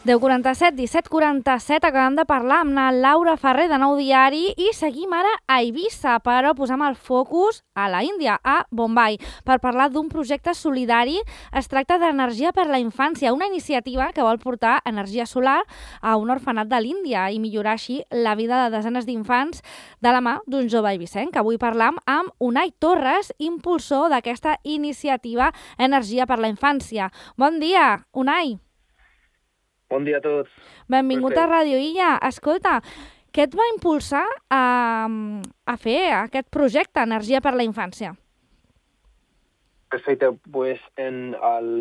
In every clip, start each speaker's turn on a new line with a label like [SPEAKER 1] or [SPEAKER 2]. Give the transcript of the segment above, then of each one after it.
[SPEAKER 1] 10:47, 17:47, acabem de parlar amb la Laura Ferrer de Nou Diari i seguim ara a Eivissa, però posem el focus a la Índia, a Bombai, per parlar d'un projecte solidari. Es tracta d'Energia per la Infància, una iniciativa que vol portar energia solar a un orfenat de l'Índia i millorar així la vida de desenes d'infants de la mà d'un jove eivissenc. Avui parlam amb Unai Torres, impulsor d'aquesta iniciativa Energia per la Infància. Bon dia, Unai.
[SPEAKER 2] Bon dia a tots.
[SPEAKER 1] Benvingut a Ràdio Illa. Escolta, què et va impulsar a fer aquest projecte Energia per la Infància?
[SPEAKER 2] Perfecte. Pues en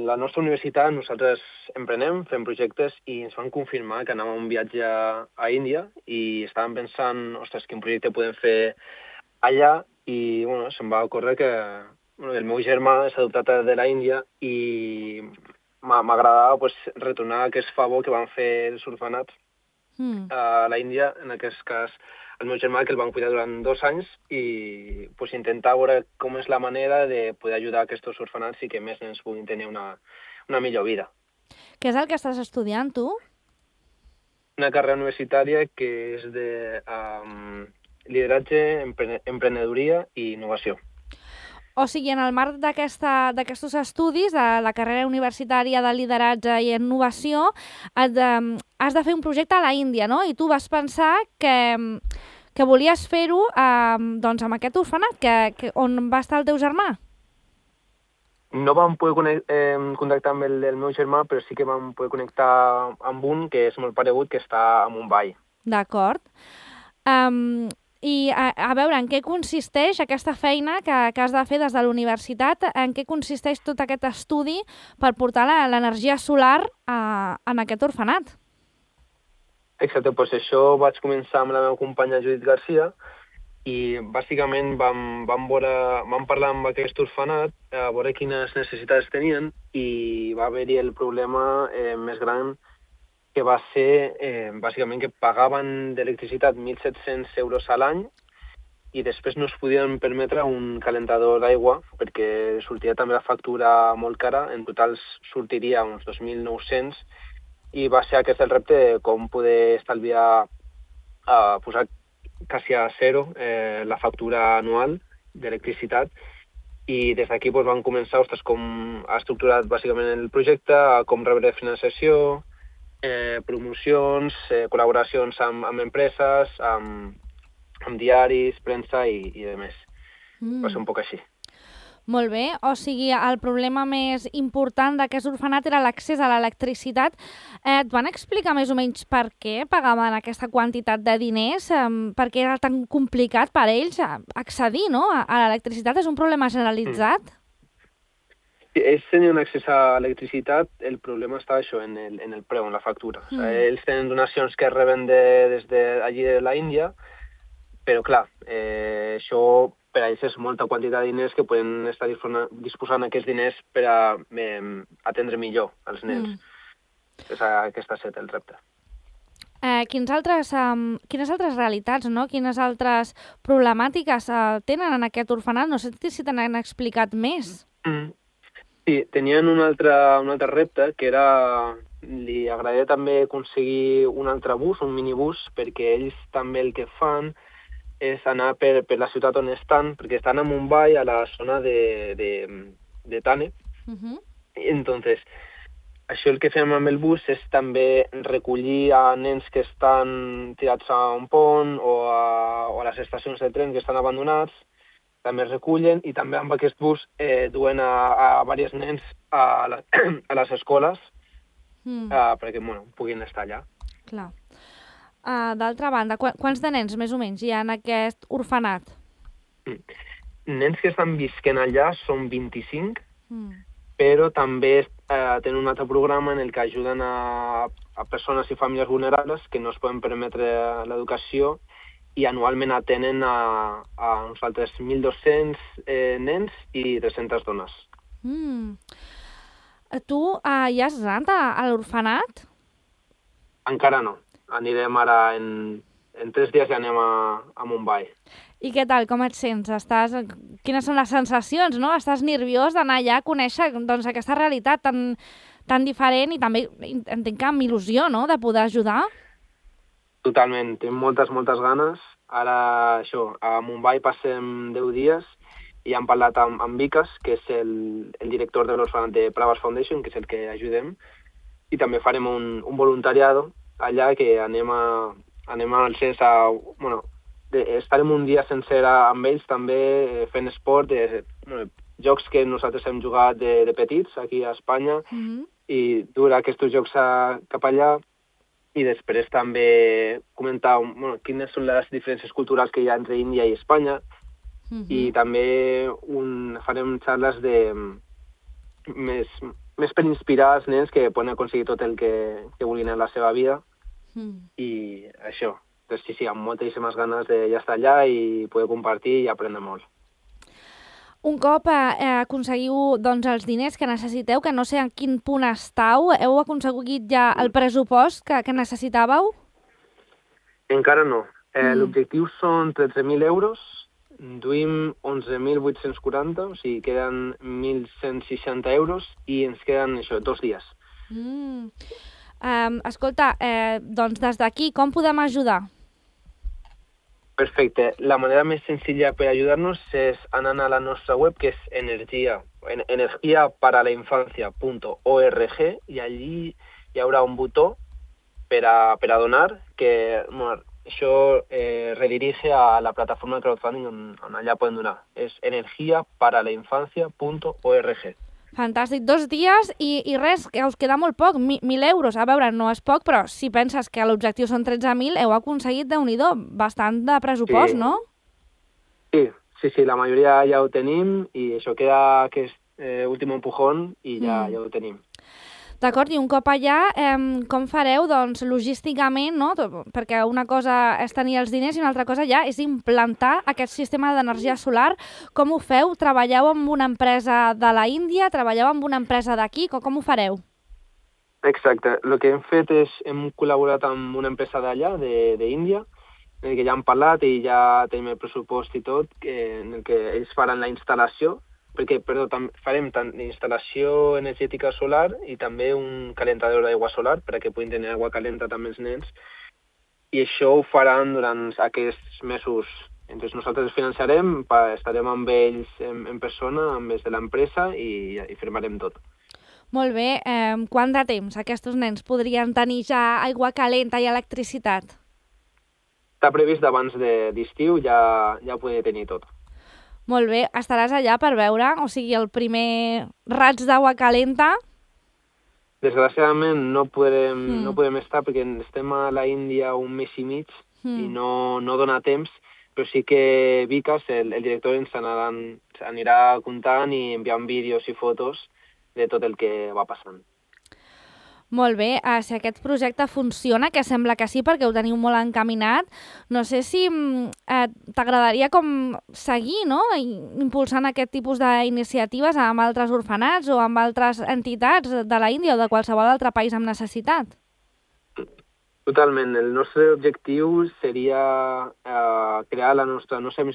[SPEAKER 2] la nostra universitat nosaltres emprenem, fem projectes i ens van confirmar que anàvem a un viatge a Índia i estàvem pensant, ostres, quin projecte podem fer allà i se'm va ocórrer que el meu germà és adoptat de la Índia i m'agradava retornar aquest favor que van fer els orfenats a la Índia, en aquest cas el meu germà, que el van cuidar durant 2 anys i intentar veure com és la manera de poder ajudar aquests orfenats i que més nens puguin tenir una millor vida.
[SPEAKER 1] Què és el que estàs estudiant, tu?
[SPEAKER 2] Una carrera universitària que és de lideratge, emprenedoria i innovació.
[SPEAKER 1] O sigui, en el marc d'aquests estudis, de la carrera universitària de lideratge i innovació, has de fer un projecte a la Índia, no? I tu vas pensar que volies fer-ho amb aquest orfenat, on va estar el teu germà?
[SPEAKER 2] No vam poder contactar amb el del meu germà, però sí que vam poder connectar amb un que és molt paregut, que està a Mumbai.
[SPEAKER 1] D'acord. I a veure, en què consisteix aquesta feina que has de fer des de la universitat? En què consisteix tot aquest estudi per portar l'energia solar en aquest orfenat?
[SPEAKER 2] Exacte, doncs això vaig començar amb la meva companya Judit Garcia i bàsicament vam parlar amb aquest orfenat a veure quines necessitats tenien i va haver-hi el problema més gran, que va ser bàsicament que pagaven d'electricitat 1.700 euros a l'any i després no es podien permetre un calentador d'aigua perquè sortia també la factura molt cara, en total sortiria uns 2.900 i va ser aquest el repte de com poder estalviar, posar quasi a zero la factura anual d'electricitat i des d'aquí vam començar com ha estructurat bàsicament el projecte, com rebre financiació, promocions, col·laboracions amb empreses, amb diaris, premsa i demés. Va ser un poc així.
[SPEAKER 1] Molt bé. O sigui, el problema més important d'aquest orfenat era l'accés a l'electricitat. Et van explicar més o menys per què pagaven aquesta quantitat de diners? Per què era tan complicat per ells accedir, no, a l'electricitat? És un problema generalitzat?
[SPEAKER 2] Ells tenien accés a electricitat, el problema està això, en el preu, en la factura. O sigui, ells tenen donacions que reben des d'allí de la Índia, però clar, això per a ells és molta quantitat de diners que poden estar disposant aquests diners per a atendre millor els nens. Aquest ha estat el repte.
[SPEAKER 1] Quines altres realitats, no? Quines altres problemàtiques tenen en aquest orfenat? No sé si te n'han explicat més.
[SPEAKER 2] Sí, tenien un altre repte, que era, li agradaria també aconseguir un altre bus, un minibús, perquè ells també el que fan és anar per la ciutat on estan, perquè estan a Mumbai, a la zona de Thane. Entonces, això el que fem amb el bus és també recollir a nens que estan tirats a un pont o a les estacions de tren que estan abandonats, també es recullen i també amb aquest bus duen a diversos nens a les escoles perquè puguin estar allà.
[SPEAKER 1] Clar. D'altra banda, quants de nens més o menys hi ha en aquest orfenat?
[SPEAKER 2] Nens que estan visquent allà són 25, però també tenen un altre programa en el que ajuden a persones i famílies vulnerables que no es poden permetre l'educació i anualment atenen a uns altres 1.200 nens i 300 dones.
[SPEAKER 1] Tu hi has anat a l'orfenat?
[SPEAKER 2] Encara no. Anirem ara en 3 dies ja anem a Mumbai.
[SPEAKER 1] I què tal? Com et sents? Quines són les sensacions, no? Estàs nerviós d'anar allà a conèixer aquesta realitat tan tan diferent i també entenc que amb il·lusió, no?, de poder ajudar.
[SPEAKER 2] Totalment, tinc moltes ganes. Ara, això, a Mumbai passem 10 dies i hem parlat amb Vikas, que és el director de l'Orfanat de Pravas Foundation, que és el que ajudem, i també farem un voluntariado allà que anem al CES estarem un dia sencer amb ells també fent esport, jocs que nosaltres hem jugat de petits aquí a Espanya i dur aquests jocs cap allà i després també comentar quines són les diferències culturals que hi ha entre Índia i Espanya i també farem xarles més per inspirar els nens que poden aconseguir tot el que vulguin en la seva vida i això. Entonces, sí, amb moltíssimes ganes de ja estar allà i poder compartir i aprendre molt.
[SPEAKER 1] Un cop aconseguiu els diners que necessiteu, que no sé en quin punt estàu, heu aconseguit ja el pressupost que necessitàveu?
[SPEAKER 2] Encara no. L'objectiu són 13.000 euros, duim 11.840, o sigui, queden 1.160 euros i ens queden 2 dies.
[SPEAKER 1] Escolta, doncs des d'aquí, com podem ajudar?
[SPEAKER 2] Perfecte. La manera més senzilla per ajudar-nos és anant a la nostra web, que és energiaparalainfancia.org i allí hi haurà un botó per a donar, que això redirige a la plataforma de crowdfunding on allà poden donar. És energiaparalainfancia.org.
[SPEAKER 1] Fantàstic. 2 dies i res, que us queda molt poc, 1.000 euros. A veure, no és poc, però si penses que l'objectiu són 13.000, heu aconseguit, Déu-n'hi-do, bastant de pressupost,
[SPEAKER 2] sí.
[SPEAKER 1] No?
[SPEAKER 2] Sí, la majoria ja ho tenim i això queda aquest últim empujón i ja ho tenim.
[SPEAKER 1] D'acord, i un cop allà, com fareu, doncs, logísticament, no? Perquè una cosa és tenir els diners i una altra cosa ja és implantar aquest sistema d'energia solar. Com ho feu? Treballeu amb una empresa de la Índia? Treballeu amb una empresa d'aquí? Com ho fareu?
[SPEAKER 2] Exacte. El que hem fet és, hem col·laborat amb una empresa d'allà, d'Índia, en el que ja hem parlat i ja tenim el pressupost i tot, en el que ells faran la instal·lació, perquè farem tant instal·lació energètica solar i també un calentador d'aigua solar perquè puguin tenir aigua calenta també els nens i això ho faran durant aquests mesos. Entonces nosaltres els financiarem, estarem amb ells en persona, amb ells de l'empresa i firmarem tot.
[SPEAKER 1] Molt bé. Quant de temps aquests nens podrien tenir ja aigua calenta i electricitat?
[SPEAKER 2] Està previst abans d'estiu ja poder tenir tot.
[SPEAKER 1] Molt bé, estaràs allà per veure, o sigui, el primer raig d'aigua calenta?
[SPEAKER 2] Desgraciadament no podem estar perquè estem a la Índia un mes i mig i no dona temps, però sí que Vikas, el director, ens anirà comptant i enviant vídeos i fotos de tot el que va passant.
[SPEAKER 1] Molt bé, si aquest projecte funciona, que sembla que sí perquè ho teniu molt encaminat, no sé si t'agradaria com seguir, no?, impulsant aquest tipus d'iniciatives amb altres orfenats o amb altres entitats de la Índia o de qualsevol altre país amb necessitat.
[SPEAKER 2] Totalment. El nostre objectiu seria crear la nostra... No sé en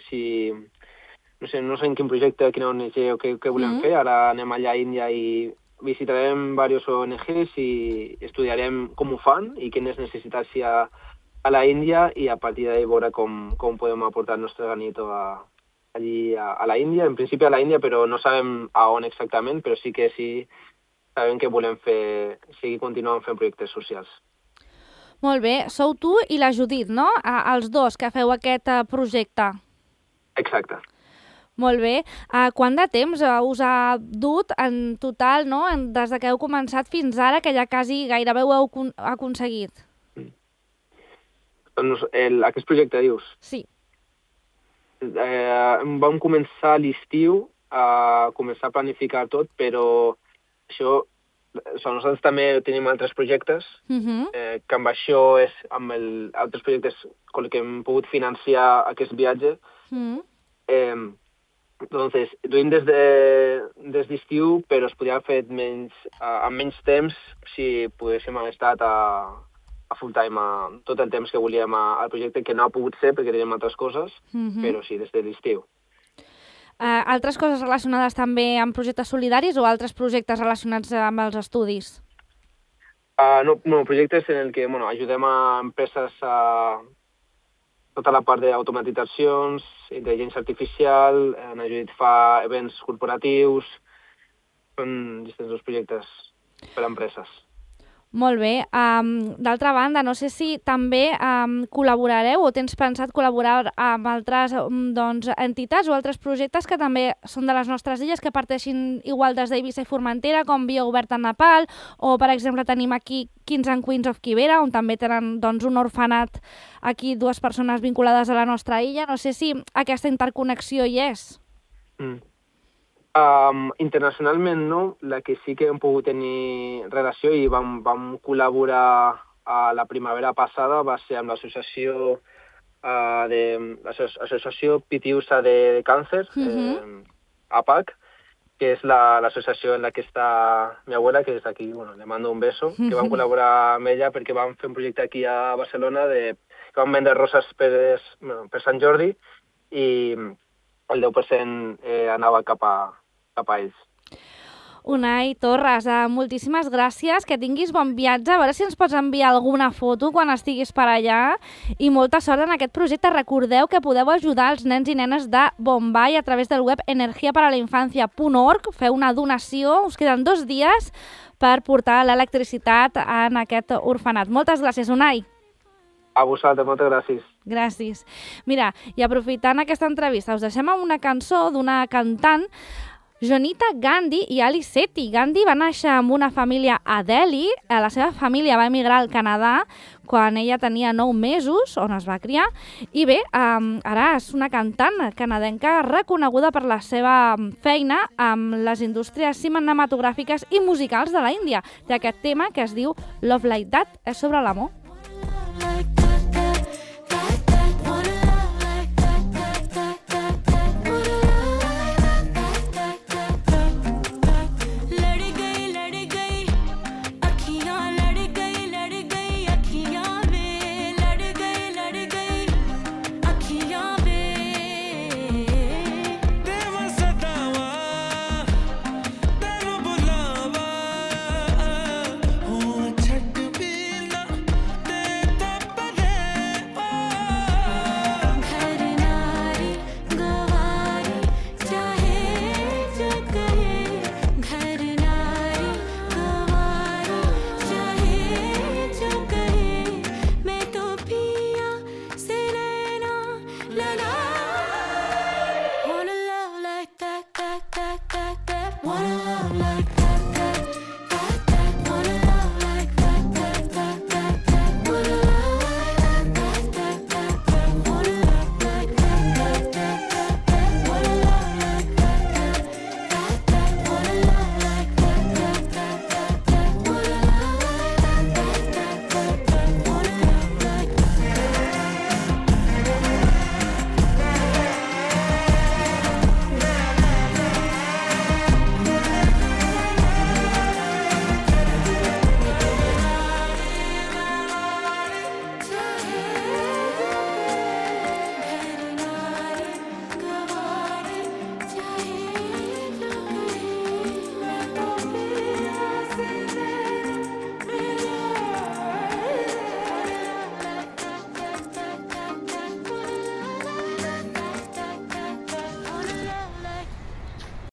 [SPEAKER 2] quin projecte, quina ONG o què volem fer. Ara anem allà a Índia i visitarem diverses ONGs i estudiarem com ho fan i quines necessitats hi ha a la Índia i a partir d'ahí veure com podem aportar el nostre granito allí a la Índia. En principi a la Índia, però no sabem a on exactament, però sí que sabem que volem seguir continuant fent projectes socials.
[SPEAKER 1] Molt bé. Sou tu i la Judit, no? Els dos que feu aquest projecte.
[SPEAKER 2] Exacte.
[SPEAKER 1] Molt bé. Quant de temps us ha dut en total, no?, des que heu començat fins ara, que ja quasi gairebé ho heu aconseguit?
[SPEAKER 2] Aquest projecte, dius?
[SPEAKER 1] Sí.
[SPEAKER 2] Vam començar a l'estiu a començar a planificar tot, però això... Nosaltres també tenim altres projectes, que amb això és amb altres projectes que hem pogut financiar aquest viatge. Entonces, duim des d'estiu, però es podria haver fet amb menys temps si poguéssim haver estat a full time tot el temps que volíem al projecte, que no ha pogut ser perquè tenim altres coses, però sí, des de l'estiu.
[SPEAKER 1] Altres coses relacionades també amb projectes solidaris o altres projectes relacionats amb els estudis?
[SPEAKER 2] No, projectes en el que ajudem a empreses a tota la part d'automatitzacions, intel·ligència artificial, en ajudit fa events corporatius, són distints els projectes per a empreses.
[SPEAKER 1] Molt bé. D'altra banda, no sé si també col·laborareu o tens pensat col·laborar amb altres entitats o altres projectes que també són de les nostres illes, que parteixin igual des d'Eivissa i Formentera, com Via Oberta a Nepal, o per exemple tenim aquí Kings and Queens of Kibera, on també tenen un orfenat aquí, 2 persones vinculades a la nostra illa. No sé si aquesta interconnexió hi és.
[SPEAKER 2] Internacionalment no, la que sí que hem pogut tenir relació i vam col·laborar a la primavera passada va ser amb l'associació Pitiusa de Càncer, APAC, que és l'associació en la que està mi abuela, que és aquí, le mando un beso, que vam col·laborar amb ella perquè vam fer un projecte aquí a Barcelona que vam vendre roses per Sant Jordi i el 10% anava cap a ells.
[SPEAKER 1] Unai Torres, moltíssimes gràcies, que tinguis bon viatge, a veure si ens pots enviar alguna foto quan estiguis per allà i molta sort en aquest projecte. Recordeu que podeu ajudar els nens i nenes de Bombai a través del web energiaparalainfancia.org, feu una donació, us queden 2 dies per portar l'electricitat en aquest orfenat. Moltes gràcies, Unai.
[SPEAKER 2] A vosaltres, moltes gràcies.
[SPEAKER 1] Gràcies. Mira, i aprofitant aquesta entrevista, us deixem amb una cançó d'una cantant, Jonita Gandhi i Ali Sethi. Gandhi va néixer amb una família a Delhi. La seva família va emigrar al Canadà quan ella tenia 9 mesos, on es va criar. I bé, ara és una cantant canadenca reconeguda per la seva feina amb les indústries cinematogràfiques i musicals de la Índia. Té aquest tema que es diu Love Like That, és sobre l'amor.